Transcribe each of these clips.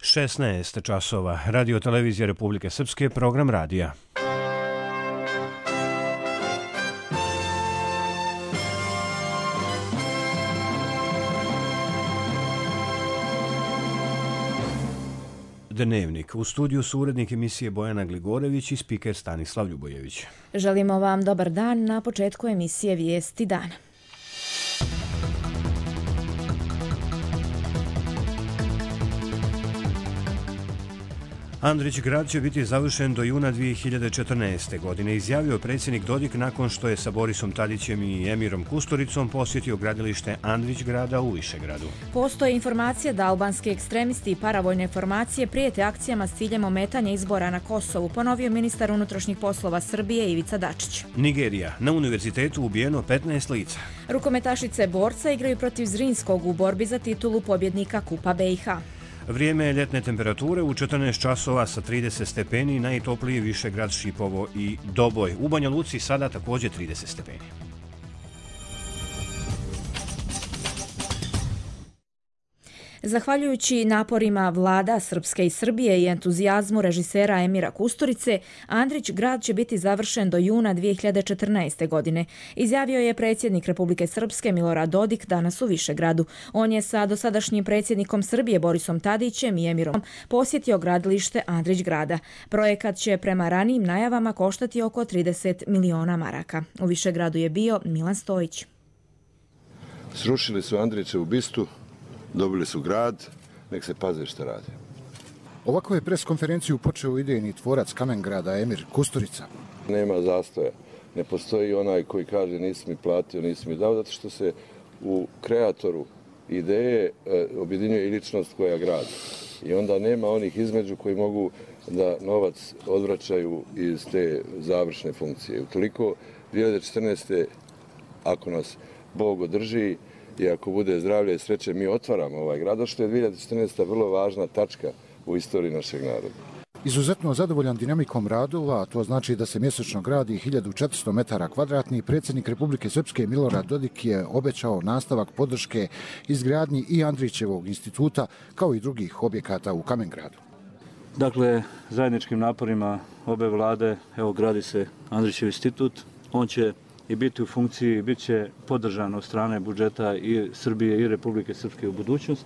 16 časova. Radio televizija Republike Srpske, program radija. Dnevnik. U studiju su urednik emisije Bojana Gligorević i spiker Stanislav Ljubojević. Želimo vam dobar dan na početku emisije Vijesti dana. Andrić grad će biti završen do juna 2014. godine, izjavio predsjednik Dodik nakon što je sa Borisom Tadićem i Emirom Kusturicom posjetio gradilište Andrić grada u Višegradu. Postoje informacije da albanski ekstremisti i paravojne formacije prijete akcijama s ciljem ometanja izbora na Kosovu, ponovio ministar unutrašnjih poslova Srbije Ivica Dačić. Nigerija. Na univerzitetu ubijeno 15 lica. Rukometašice borca igraju protiv Zrinskog u borbi za titulu pobjednika Kupa BiH. Vrijeme je ljetne temperature u 14 časova sa 30 stepeni, najtopliji Višegrad, Šipovo i Doboj. U Banja Luci sada također 30 stepeni. Zahvaljujući naporima vlada Srpske i Srbije i entuzijazmu režisera Emira Kusturice, Andrić grad će biti završen do juna 2014. godine, izjavio je predsjednik Republike Srpske Milorad Dodik danas u Višegradu. On je sa dosadašnjim predsjednikom Srbije Borisom Tadićem i Emirom posjetio gradilište Andrić grada. Projekat će prema ranijim najavama koštati oko 30 miliona maraka. U Višegradu je bio Milan Stojić. Srušili su Andrićevu bistu, dobili su grad, nek se paze šta rade. Ovako je preskonferenciju počeo idejni tvorac Kamengrada Emir Kusturica. Nema zastoja. Ne postoji onaj koji kaže nisi mi platio, nisi mi dao, zato što se u kreatoru ideje objedinjuje i ličnost koja gradi. I onda nema onih između koji mogu da novac odvraćaju iz te završne funkcije. Utoliko 2014. ako nas Bog održi, i ako bude zdravlje i sreće, mi otvaramo ovaj grad, što je 2014. vrlo važna tačka u istoriji našeg naroda. Izuzetno zadovoljan dinamikom radova, a to znači da se mjesečno gradi 1400 metara kvadratnih, predsjednik Republike Srpske Milorad Dodik je obećao nastavak podrške izgradnji i Andrićevog instituta, kao i drugih objekata u Kamengradu. Dakle, zajedničkim naporima obe vlade, evo gradi se Andrićev institut, on će i biti u funkciji, bit će podržan od strane budžeta i Srbije i Republike Srpske u budućnost.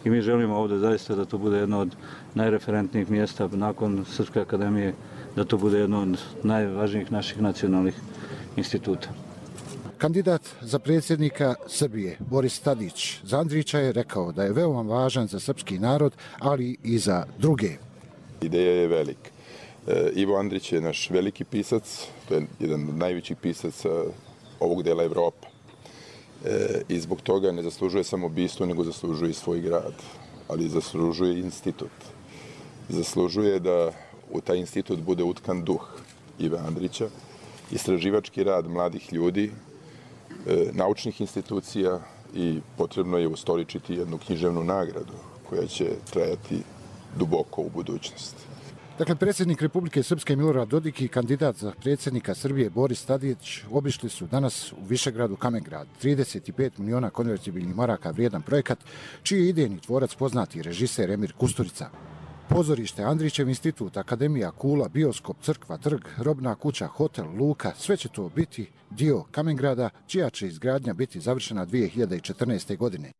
I mi želimo ovdje zaista da to bude jedno od najreferentnijih mjesta nakon Srpske akademije, da to bude jedno od najvažnijih naših nacionalnih instituta. Kandidat za predsjednika Srbije, Boris Tadić, za Andrića je rekao da je veoma važan za srpski narod, ali i za druge. Ideja je velika. Ivo Andrić je naš veliki pisac, to je jedan od najvećih pisaca ovog dela Evrope. I zbog toga ne zaslužuje samo bistu, nego zaslužuje i svoj grad, ali zaslužuje i institut. Zaslužuje da u taj institut bude utkan duh Ive Andrića, istraživački rad mladih ljudi, naučnih institucija i potrebno je ustoličiti jednu književnu nagradu koja će trajati duboko u budućnosti. Dakle, predsjednik Republike Srpske Milorad Dodik i kandidat za predsjednika Srbije Boris Tadić obišli su danas u Višegradu Kamengrad, 35 miliona konvertibilnih maraka vrijedan projekat, čiji je idejni tvorac poznati režiser Emir Kusturica. Pozorište, Andrićev institut, akademija, kula, bioskop, crkva, trg, robna kuća, hotel, luka, sve će to biti dio Kamengrada, čija će izgradnja biti završena 2014. godine.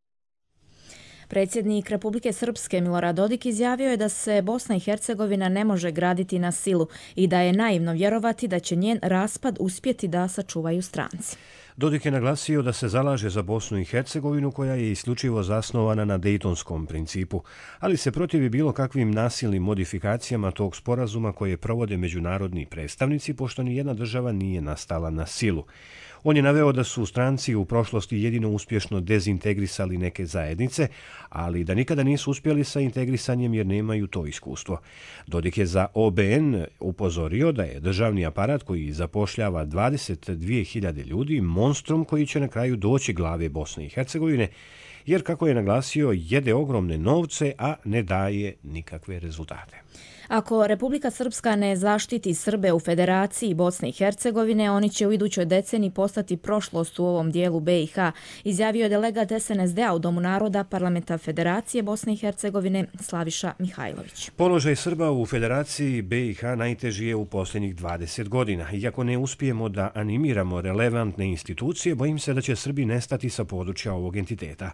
Predsjednik Republike Srpske Milorad Dodik izjavio je da se Bosna i Hercegovina ne može graditi na silu i da je naivno vjerovati da će njen raspad uspjeti da sačuvaju stranci. Dodik je naglasio da se zalaže za Bosnu i Hercegovinu koja je isključivo zasnovana na Dejtonskom principu, ali se protivi bilo kakvim nasilnim modifikacijama tog sporazuma koje provode međunarodni predstavnici, pošto ni jedna država nije nastala na silu. On je naveo da su stranci u prošlosti jedino uspješno dezintegrisali neke zajednice, ali da nikada nisu uspjeli sa integrisanjem jer nemaju to iskustvo. Dodik je za OBN upozorio da je državni aparat koji zapošljava 22.000 ljudi monstrum koji će na kraju doći glave Bosne i Hercegovine, jer, kako je naglasio, jede ogromne novce, a ne daje nikakve rezultate. Ako Republika Srpska ne zaštiti Srbe u Federaciji Bosne i Hercegovine, oni će u idućoj deceniji postati prošlost u ovom dijelu BiH, izjavio je delegat SNSD-a u Domu naroda Parlamenta Federacije Bosne i Hercegovine Slaviša Mihajlović. Položaj Srba u Federaciji BiH najteži je u posljednjih 20 godina. Iako ne uspijemo da animiramo relevantne institucije, bojim se da će Srbi nestati sa područja ovog entiteta,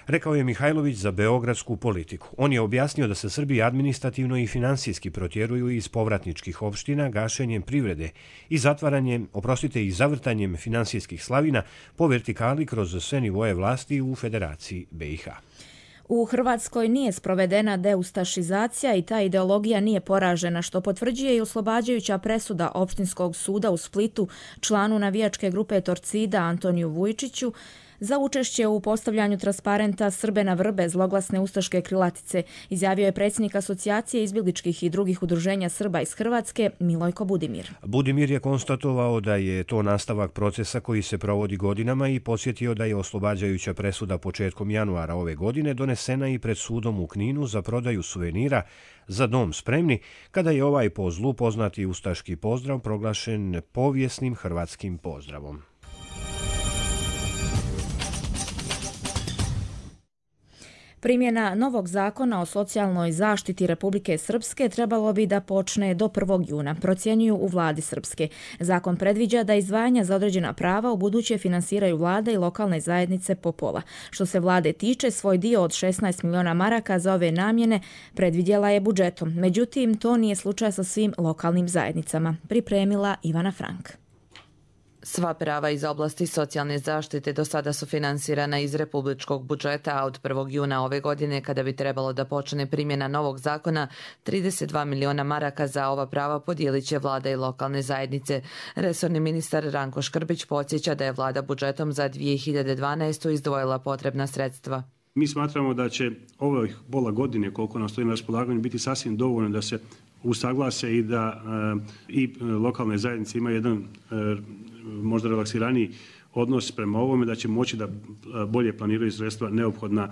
rekao je Mihajlović za beogradsku politiku. On je objasnio da se Srbi administrativno i finansijski protjeruju iz povratničkih opština gašenjem privrede i i zavrtanjem finansijskih slavina po vertikali kroz sve nivoje vlasti u Federaciji BiH. U Hrvatskoj nije sprovedena deustašizacija i ta ideologija nije poražena, što potvrđuje i oslobađajuća presuda Opštinskog suda u Splitu članu navijačke grupe Torcida Antoniju Vujčiću za učešće u postavljanju transparenta Srbe na vrbe zloglasne ustaške krilatice, izjavio je predsjednik Asocijacije izbjegličkih i drugih udruženja Srba iz Hrvatske Milojko Budimir. Budimir je konstatovao da je to nastavak procesa koji se provodi godinama i podsjetio da je oslobađajuća presuda početkom januara ove godine donesena i pred sudom u Kninu za prodaju suvenira Za dom spremni, kada je ovaj po zlu poznati ustaški pozdrav proglašen povijesnim hrvatskim pozdravom. Primjena novog zakona o socijalnoj zaštiti Republike Srpske trebalo bi da počne do 1. juna, procjenjuju u vladi Srpske. Zakon predviđa da izdvajanja za određena prava u buduće finansiraju vlada i lokalne zajednice po pola. Što se vlade tiče, svoj dio od 16 miliona maraka za ove namjene predvidjela je budžetom. Međutim, to nije slučaj sa svim lokalnim zajednicama, pripremila Ivana Frank. Sva prava iz oblasti socijalne zaštite do sada su finansirana iz republičkog budžeta, a od 1. juna ove godine, kada bi trebalo da počne primjena novog zakona, 32 miliona maraka za ova prava podijelit će vlada i lokalne zajednice. Resorni ministar Ranko Škrbić podsjeća da je vlada budžetom za 2012. izdvojila potrebna sredstva. Mi smatramo da će ovih pola godine, koliko nam stoji na raspolaganju, biti sasvim dovoljno da se usaglase i da i lokalne zajednice imaju jedan možda relaksiraniji odnos prema ovome, da će moći da bolje planiraju sredstva neophodna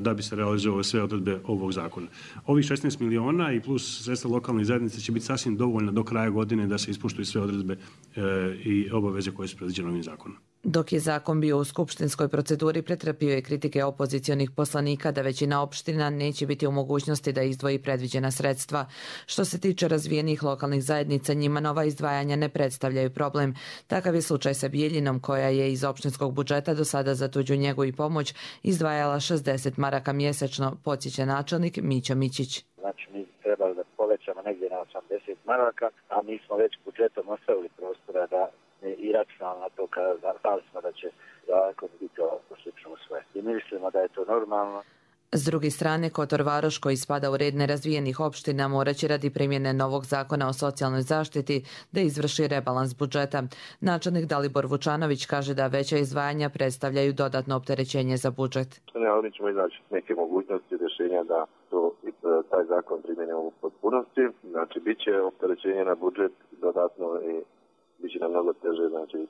da bi se realizovale sve odredbe ovog zakona. Ovih 16 miliona i plus sredstva lokalnih zajednica će biti sasvim dovoljna do kraja godine da se ispoštuju sve odredbe i obaveze koje su predviđene ovim zakonom. Dok je zakon bio u skupštinskoj proceduri, pretrpio je kritike opozicionih poslanika da većina opština neće biti u mogućnosti da izdvoji predviđena sredstva. Što se tiče razvijenih lokalnih zajednica, njima nova izdvajanja ne predstavljaju problem. Takav je slučaj sa Bijeljinom, koja je iz opštinskog budžeta do sada za tuđu njegu i pomoć izdvajala 60 maraka mjesečno, podsjeća načelnik Mićo Mićić. Znači, mi trebali da povećamo negdje na 80 maraka, a mi smo već budžetom ostavili prostora da i računamo na to kada znali smo da će zakon biti slično sve. I mislimo da je to normalno. S druge strane, Kotor Varoš, koji spada u red nerazvijenih opština, morat će radi primjene novog zakona o socijalnoj zaštiti da izvrši rebalans budžeta. Načelnik Dalibor Vučanović kaže da veća izdvajanja predstavljaju dodatno opterećenje za budžet. Mi ćemo iznaći neke mogućnosti rješenja da taj zakon primjenimo u potpunosti. Znači, bit će opterećenje na budžet dodatno i bit će nam mnogo teže, znači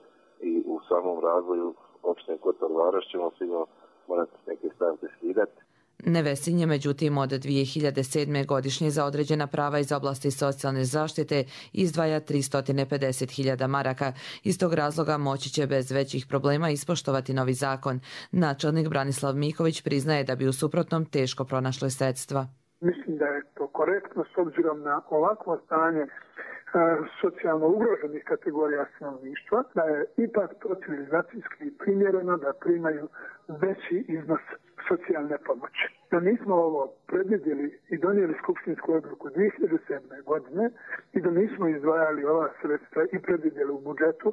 i u samom razvoju opštine Kotor Varoš ćemo sigurno morati neke stavke skidati. Nevesinje, međutim, od 2007. godišnje za određena prava iz oblasti socijalne zaštite izdvaja 350.000 maraka. Iz tog razloga moći će bez većih problema ispoštovati novi zakon. Načelnik Branislav Miković priznaje da bi u suprotnom teško pronašli sredstva. Mislim da je to korektno s obzirom na ovakvo stanje socijalno ugroženih kategorija stanovništva, da je ipak to civilizacijski primjereno da primaju veći iznos socijalne pomoći. Da nismo ovo predvidjeli i donijeli skupštinsku odluku 2007. godine i da nismo izdvajali ova sredstva i predvidjeli u budžetu,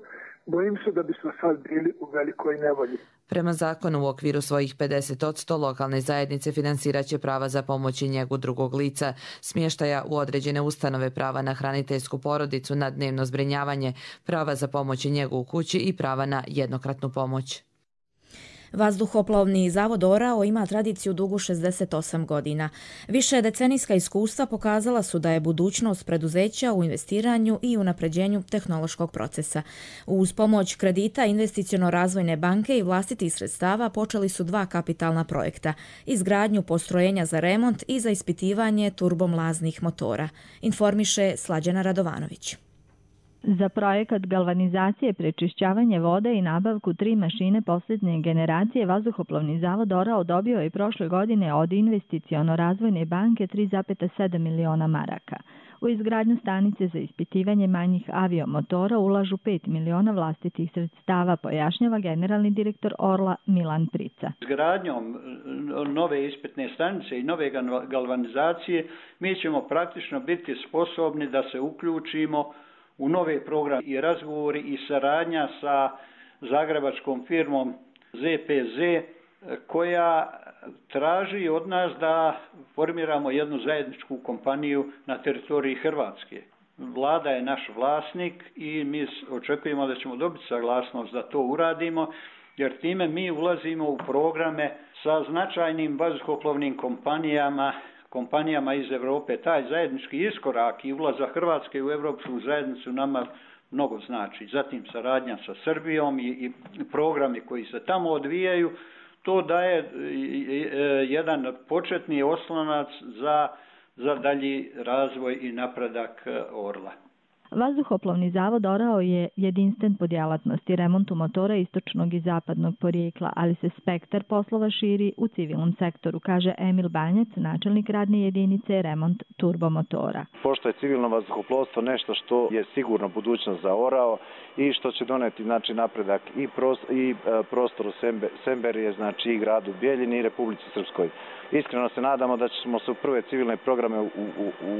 bojim se da bismo sad bili u velikoj nevolji. Prema zakonu, u okviru svojih 50% lokalne zajednice finansirat će prava za pomoć i njegu drugog lica, smještaja u određene ustanove, prava na hraniteljsku porodicu, na dnevno zbrinjavanje, prava za pomoć i njegu u kući i prava na jednokratnu pomoć. Vazduhoplovni zavod Orao ima tradiciju dugu 68 godina. Više decenijska iskustva pokazala su da je budućnost preduzeća u investiranju i unapređenju tehnološkog procesa. Uz pomoć kredita Investiciono-razvojne banke i vlastitih sredstava počeli su 2 kapitalna projekta, izgradnju postrojenja za remont i za ispitivanje turbomlaznih motora, informiše Slađana Radovanović. Za projekat galvanizacije, prečišćavanje vode i nabavku 3 mašine posljednje generacije Vazduhoplovni zavod Orao dobio je prošle godine od Investiciono-razvojne banke 3,7 miliona maraka. U izgradnju stanice za ispitivanje manjih aviomotora ulažu 5 miliona vlastitih sredstava, pojašnjava generalni direktor Orla Milan Prica. Izgradnjom nove ispitne stanice i nove galvanizacije mi ćemo praktično biti sposobni da se uključimo u nove programe i razgovori i saradnja sa zagrebačkom firmom ZPZ koja traži od nas da formiramo jednu zajedničku kompaniju na teritoriji Hrvatske. Vlada je naš vlasnik i mi očekujemo da ćemo dobiti saglasnost da to uradimo, jer time mi ulazimo u programe sa značajnim vazduhoplovnim kompanijama iz Europe. Taj zajednički iskorak i ulazak Hrvatske u Europsku zajednicu nama mnogo znači. Zatim saradnja sa Srbijom i programi koji se tamo odvijaju, to daje jedan početni oslonac za dalji razvoj i napredak Orla. Vazduhoplovni zavod Orao je jedinstven po djelatnosti remontu motora istočnog i zapadnog porijekla, ali se spektar poslova širi u civilnom sektoru, kaže Emil Banjac, načelnik radne jedinice remont turbomotora. Pošto je civilno vazduhoplovstvo nešto što je sigurno budućnost za Orao i što će doneti napredak i prostoru Semberije, znači i gradu Bijeljini i Republici Srpskoj. Iskreno se nadamo da ćemo se u prve civilne programe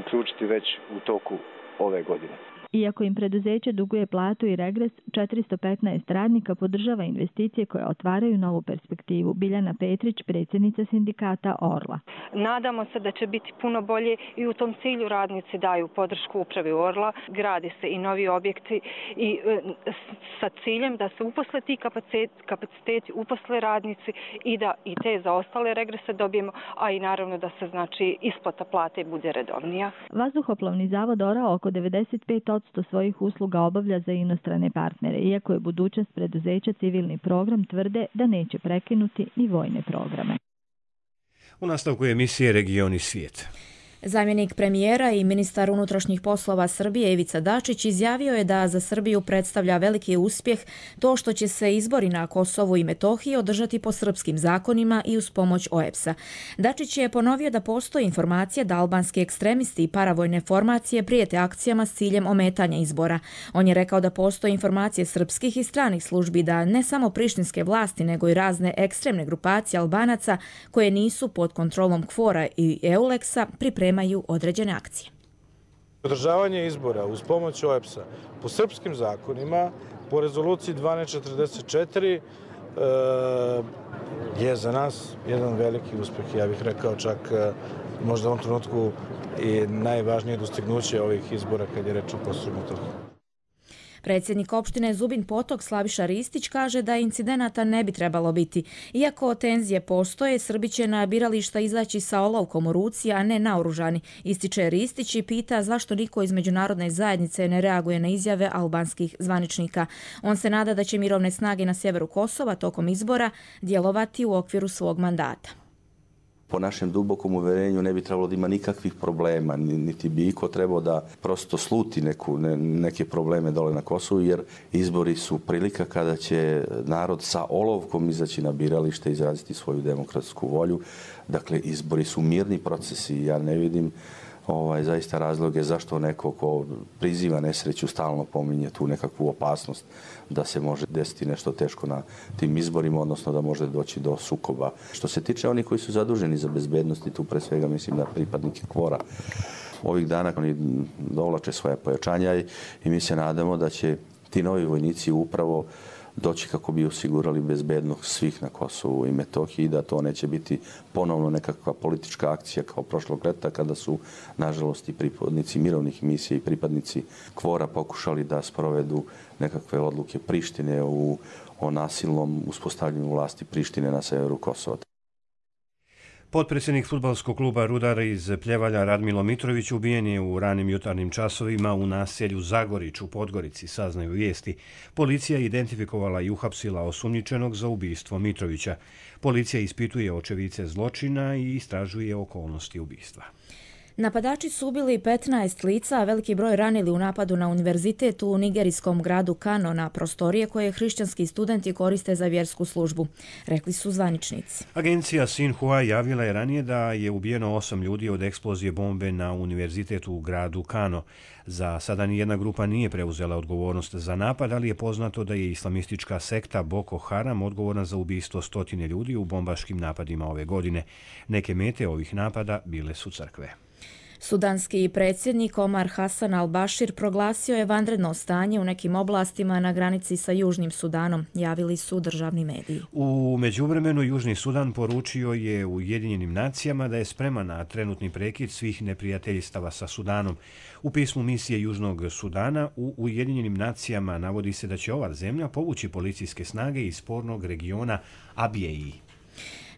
uključiti već u toku ove godine. Iako im preduzeće duguje platu i regres, 415 radnika podržava investicije koje otvaraju novu perspektivu. Biljana Petrić, predsjednica sindikata Orla. Nadamo se da će biti puno bolje i u tom cilju radnici daju podršku upravi Orla. Gradi se i novi objekti i sa ciljem da se uposle ti kapaciteti, uposle radnici i da i te zaostale regrese dobijemo, a i naravno da se znači isplata plate bude redovnija. Vazduhoplovni zavod Orao oko 95% svojih usluga obavlja za inostrane partnere. Iako je budućnost preduzeća civilni program, tvrde da neće prekinuti ni vojne programe. U nastavku emisije Region i svijet. Zamjenik premijera i ministar unutrašnjih poslova Srbije Ivica Dačić izjavio je da za Srbiju predstavlja veliki uspjeh to što će se izbori na Kosovu i Metohiji održati po srpskim zakonima i uz pomoć OEBS-a. Dačić je ponovio da postoji informacija da albanski ekstremisti i paravojne formacije prijete akcijama s ciljem ometanja izbora. On je rekao da postoje informacije srpskih i stranih službi da ne samo prištinske vlasti nego i razne ekstremne grupacije Albanaca koje nisu pod kontrolom KFOR-a i EULEX-a pripremaju određene akcije. Održavanje izbora uz pomoć OEBS-a po srpskim zakonima, po rezoluciji 1244, je za nas jedan veliki uspjeh. Ja bih rekao čak možda u ovom trenutku i najvažnije dostignuće ovih izbora kad je reč o Kosovu i Metohiji. Predsjednik opštine Zubin Potok Slaviša Ristić kaže da incidenata ne bi trebalo biti. Iako tenzije postoje, Srbi će na birališta izaći sa olovkom u ruci, a ne naoružani, ističe Ristić i pita zašto niko iz međunarodne zajednice ne reaguje na izjave albanskih zvaničnika. On se nada da će mirovne snage na sjeveru Kosova tokom izbora djelovati u okviru svog mandata. Po našem dubokom uverenju ne bi trebalo da ima nikakvih problema, niti bi iko trebao da prosto sluti neke probleme dole na Kosovu, jer izbori su prilika kada će narod sa olovkom izaći na biralište i izraziti svoju demokratsku volju. Dakle, izbori su mirni procesi i ja ne vidim zaista razloge zašto neko ko priziva nesreću stalno pominje tu nekakvu opasnost da se može desiti nešto teško na tim izborima, odnosno da može doći do sukoba. Što se tiče onih koji su zaduženi za bezbednost, i tu pre svega mislim na pripadnike KFOR-a, ovih dana oni dovlače svoje pojačanja i mi se nadamo da će ti novi vojnici upravo doći kako bi osigurali bezbednost svih na Kosovu i Metohiji i da to neće biti ponovno nekakva politička akcija kao prošlog leta kada su, nažalost, i pripadnici mirovnih misija i pripadnici KFOR-a pokušali da sprovedu nekakve odluke Prištine o nasilnom uspostavljanju vlasti Prištine na severu Kosova. Potpredsjednik fudbalskog kluba Rudar iz Pljevalja Radmilo Mitrović ubijen je u ranim jutarnjim časovima u naselju Zagorić u Podgorici, saznaju vijesti. Policija je identifikovala i uhapsila osumnjičenog za ubistvo Mitrovića. Policija ispituje očevice zločina i istražuje okolnosti ubistva. Napadači su ubili 15 lica, a veliki broj ranili u napadu na univerzitet u nigerijskom gradu Kano na prostorije koje hrišćanski studenti koriste za vjersku službu, rekli su zvaničnici. Agencija Sinhua javila je ranije da je ubijeno 8 ljudi od eksplozije bombe na univerzitetu u gradu Kano. Za sada nijedna grupa nije preuzela odgovornost za napad, ali je poznato da je islamistička sekta Boko Haram odgovorna za ubistvo 100 ljudi u bombaškim napadima ove godine. Neke mete ovih napada bile su crkve. Sudanski predsjednik Omar Hassan al-Bashir proglasio je vanredno stanje u nekim oblastima na granici sa Južnim Sudanom, javili su državni mediji. U međuvremenu Južni Sudan poručio je Ujedinjenim nacijama da je spreman na trenutni prekid svih neprijateljstava sa Sudanom. U pismu misije Južnog Sudana u Ujedinjenim nacijama navodi se da će ova zemlja povući policijske snage iz spornog regiona Abijeji.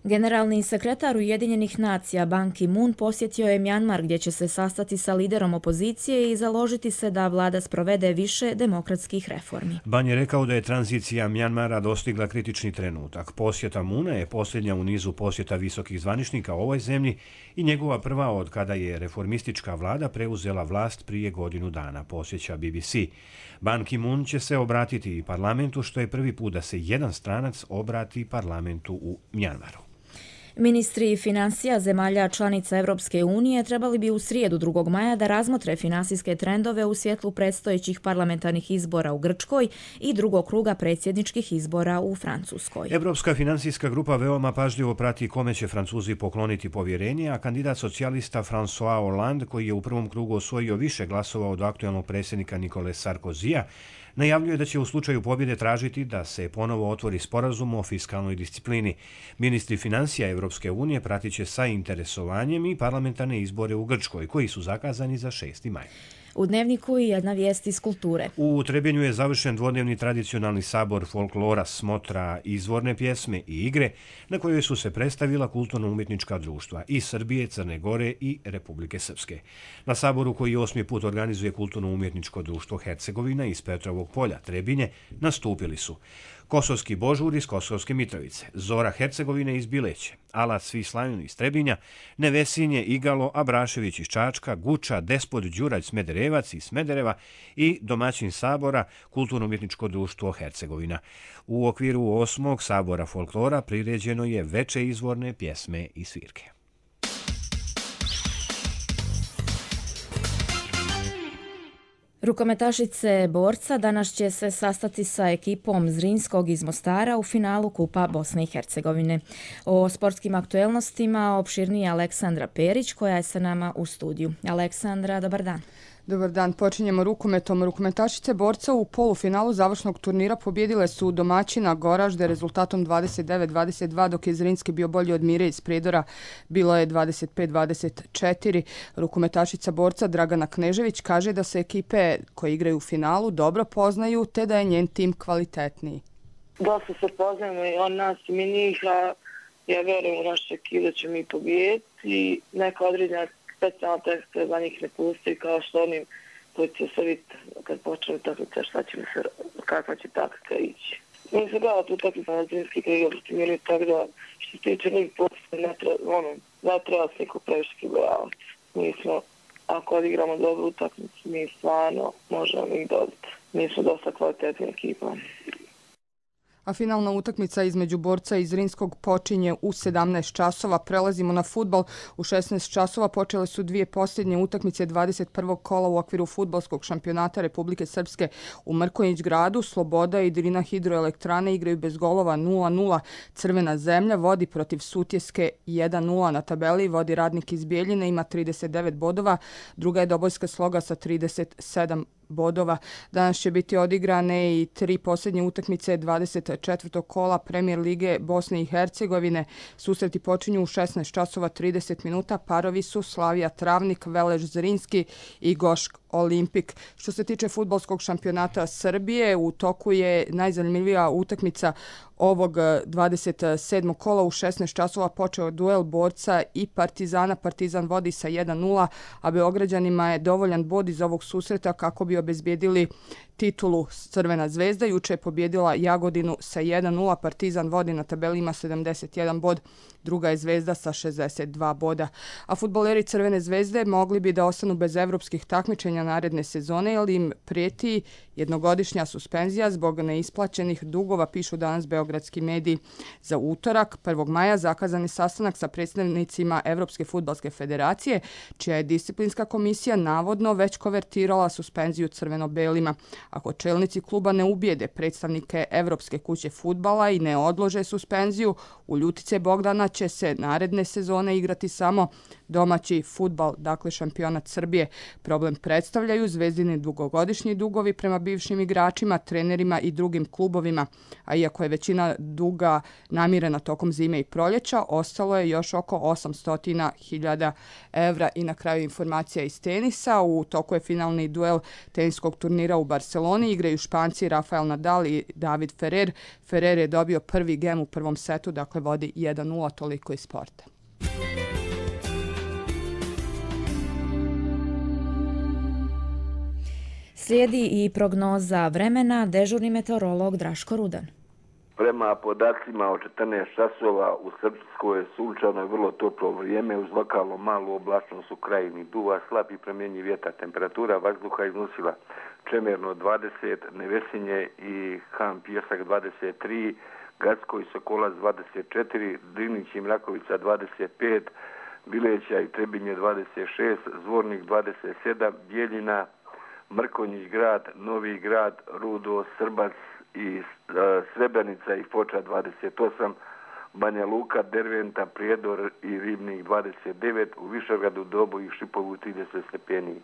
Generalni sekretar Ujedinjenih nacija Ban Ki-moon posjetio je Mjanmar gdje će se sastati sa liderom opozicije i založiti se da vlada sprovede više demokratskih reformi. Ban je rekao da je tranzicija Mjanmara dostigla kritični trenutak. Posjeta Moona je posljednja u nizu posjeta visokih zvaničnika ovoj zemlji i njegova prva od kada je reformistička vlada preuzela vlast prije godinu dana, posjeća BBC. Ban Ki-moon će se obratiti i parlamentu, što je prvi put da se jedan stranac obrati parlamentu u Mjanmaru. Ministri financija zemalja članica Europske unije trebali bi u srijedu 2. maja da razmotre finansijske trendove u svjetlu predstojećih parlamentarnih izbora u Grčkoj i drugog kruga predsjedničkih izbora u Francuskoj. Europska financijska grupa veoma pažljivo prati kome će Francuzi pokloniti povjerenje, a kandidat socijalista François Hollande, koji je u prvom krugu osvojio više glasova od aktualnog predsjednika Nikole Sarkozija, najavljuje da će u slučaju pobjede tražiti da se ponovo otvori sporazum o fiskalnoj disciplini. Ministri financija Europske unije pratit će sa interesovanjem i parlamentarne izbore u Grčkoj, koji su zakazani za 6. maj. U Dnevniku i jedna vijest iz kulture. U Trebinju je završen dvodnevni tradicionalni sabor folklora, smotra, izvorne pjesme i igre, na kojoj su se predstavila kulturno-umjetnička društva iz Srbije, Crne Gore i Republike Srpske. Na saboru, koji 8. put organizuje kulturno-umjetničko društvo Hercegovina iz Petrovog polja, Trebinje, nastupili su Kosovski Božur iz Kosovske Mitrovice, Zora Hercegovine iz Bileće, Alat Svi Slavini iz Trebinja, Nevesinje, Igalo, Abrašević iz Čačka, Guča, Despot Đurać Smederevac iz Smedereva i domaćin sabora Kulturno-umjetničko društvo Hercegovina. U okviru 8. sabora folklora priređeno je veče izvorne pjesme i svirke. Rukometašice borca danas će se sastati sa ekipom Zrinskog iz Mostara u finalu Kupa Bosne i Hercegovine. O sportskim aktuelnostima opširnije Aleksandra Perić, koja je sa nama u studiju. Aleksandra, dobar dan. Dobar dan, počinjemo rukometom. Rukometašice borca u polufinalu završnog turnira pobjedile su domaćina Goražde rezultatom 29-22, dok je Zrinski bio bolji od Mire iz Prijedora, bilo je 25-24. Rukometašica borca Dragana Knežević kaže da se ekipe koje igraju u finalu dobro poznaju, te da je njen tim kvalitetniji. Dosta se poznajemo i on nas i mi njih, a ja vjerujem u naše ekipe da će mi pobijediti i neka određena specijalna teksta za njih ne pusti, kao što oni koji će se vidjeti kad počne takvica, kakva će takvica ići. Mi se gledali tu takvica na Zrinski kad igra protiv Miri, tako da što se tiče njih posto ne treba se niko previše kibojavati. Mi smo, ako odigramo dobru utakmicu, mi stvarno možemo ih dobiti. Mi smo dosta kvalitetna ekipa. A finalna utakmica između borca iz Zrinskog počinje u 17 časova. Prelazimo na fudbal. U 16 časova počele su dvije posljednje utakmice 21. kola u okviru fudbalskog šampionata Republike Srpske u Mrkonjić gradu. Sloboda i Drina hidroelektrane igraju bez golova 0-0. Crvena zemlja vodi protiv Sutjeske 1-0 na tabeli. Vodi Radnik iz Bijeljine, ima 39 bodova. Druga je Dobojska Sloga sa 37 bodova. Danas će biti odigrane i 3 posljednje utakmice 24. kola Premijer lige Bosne i Hercegovine. Susreti počinju u 16 časova 30 minuta. Parovi su Slavija Travnik, Veleš Zrinski i Gošk Olimpik. Što se tiče fudbalskog šampionata Srbije, u toku je najzanimljivija utakmica ovog 27. kola. U 16 časova počeo duel Borca i Partizana. Partizan vodi sa 1-0, a Beograđanima je dovoljan bod iz ovog susreta kako bi obezbijedili titulu. Crvena zvezda juče je pobjedila Jagodinu sa 1-0. Partizan vodi na tabeli, ima 71 bod. Druga je Zvezda sa 62 boda. A fudbaleri Crvene zvezde mogli bi da ostanu bez evropskih takmičenja naredne sezone, jer im prijeti jednogodišnja suspenzija zbog neisplaćenih dugova, pišu danas beogradski mediji. Za utorak, 1. maja, zakazan je sastanak sa predstavnicima Evropske fudbalske federacije, čija je disciplinska komisija navodno već konvertirala suspenziju crveno-belima. Ako čelnici kluba ne ubijede predstavnike Evropske kuće fudbala i ne odlože suspenziju, u Ljutice Bogdana će se naredne sezone igrati samo domaći fudbal, dakle šampionat Srbije. Problem predstavljaju Zvezdini dugogodišnji dugovi prema bivšim igračima, trenerima i drugim klubovima, a iako je većina duga namirena tokom zime i proljeća, ostalo je još oko 800.000 evra. I na kraju informacija iz tenisa. U toku je finalni duel teniskog turnira u Barceloni. Igraju Španci Rafael Nadal i David Ferrer. Ferrer je dobio prvi gem u prvom setu, dakle vodi 1-0, toliko iz sporta. Slijedi i prognoza vremena, dežurni meteorolog Draško Rudan. Prema podacima od 14 časova u Srpskoj je sunčano i vrlo toplo vrijeme uz lokalno malu oblačnost u krajini. Duva slab i promjenjiv vjetar. Temperatura vazduha iznosila Čemerno 20, Nevesinje i Han Pjesak 23, Gacko i Sokolac 24, Drinić i Mrakovica 25, Bileća i Trebinje 26, Zvornik 27, Bijeljina, Mrkonjić grad, Novi grad, Rudo, Srbac i Srebrenica i Foča 28, Banja Luka, Derventa, Prijedor i Ribnik 29, u Višegradu, Dobu i Šipovu 30 stepeni.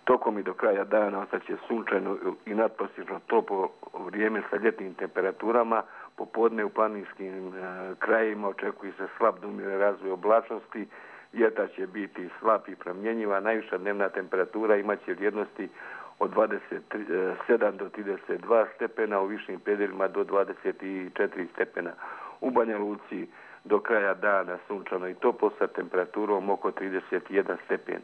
Tokom i do kraja dana ostaće sunčano i nadprosječno toplo vrijeme sa ljetnim temperaturama. Popodne u planinskim krajevima očekuje se slab do umjeren razvoj oblačnosti. Vjetar će biti slab i promjenjiva. Najviša dnevna temperatura imaće vrijednosti od 27 do 32 stepena, u višim predjelima do 24 stepena. U Banja Luci do kraja dana sunčano i toplo sa temperaturom oko 31 stepen.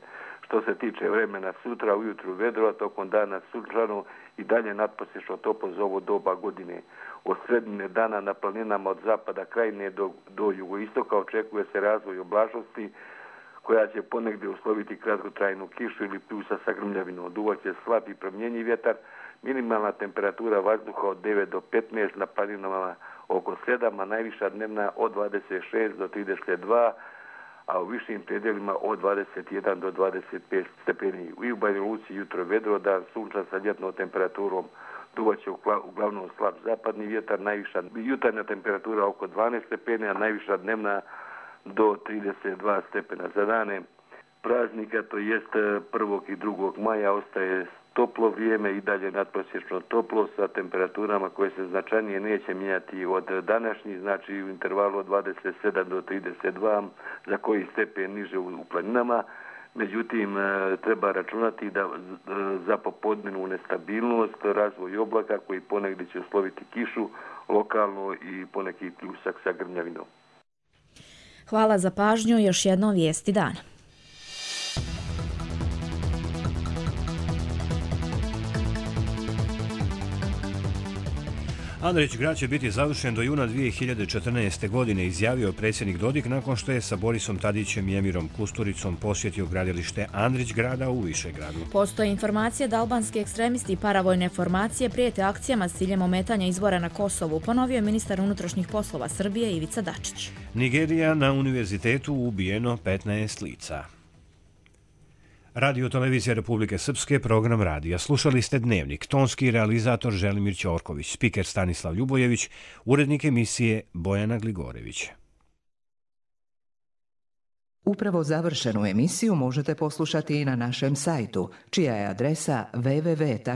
Što se tiče vremena sutra, ujutru vedro, tokom dana sunčano i dalje nadprosječno toplo za ovo doba godine. Od sredine dana na planinama od zapada krajine do jugoistoka očekuje se razvoj oblačnosti koja će ponegdje usloviti kratkotrajnu kišu ili pljusa sa grmljavinom. Duvaće slab i promjenjiv vjetar, minimalna temperatura vazduha od 9 do 15, na planinama oko 7, a najviša dnevna od 26 do 32, a u višim predjelima od 21 do 25 stepeni. U Banja Luci jutro vedro, dan sunčan sa ljetnom temperaturom. Duvaće uglavnom slab zapadni vjetar, najviša jutarnja temperatura oko 12 stepeni, a najviša dnevna do 32 stepena. Za dane praznika, to jest 1. i 2. maja, ostaje toplo vrijeme i dalje nadprosječno toplo sa temperaturama koje se značajnije neće mijenjati od današnjih, znači u intervalu od 27 do 32, za koji stepen niže u planinama. Međutim, treba računati da za popodnevnu nestabilnost, razvoj oblaka koji ponegdje će usloviti kišu, lokalno i poneki pljusak sa grmljavinom. Hvala za pažnju, još jednom vijesti dana. Andrić grad će biti završen do juna 2014. godine, izjavio predsjednik Dodik nakon što je sa Borisom Tadićem i Emirom Kusturicom posjetio gradilište Andrić grada u Višegradu. Postoje informacije da albanski ekstremisti i paravojne formacije prijete akcijama s ciljem ometanja izbora na Kosovu, ponovio je ministar unutrašnjih poslova Srbije Ivica Dačić. Nigerija, na univerzitetu ubijeno 15 lica. Radio Televizija Republike Srpske, program radija. Slušali ste Dnevnik, tonski realizator Želimir Ćorković, spiker Stanislav Ljubojević, urednik emisije Bojana Gligorević. Upravo završenu emisiju možete poslušati i na našem sajtu, čija je adresa www.rtrs.tv.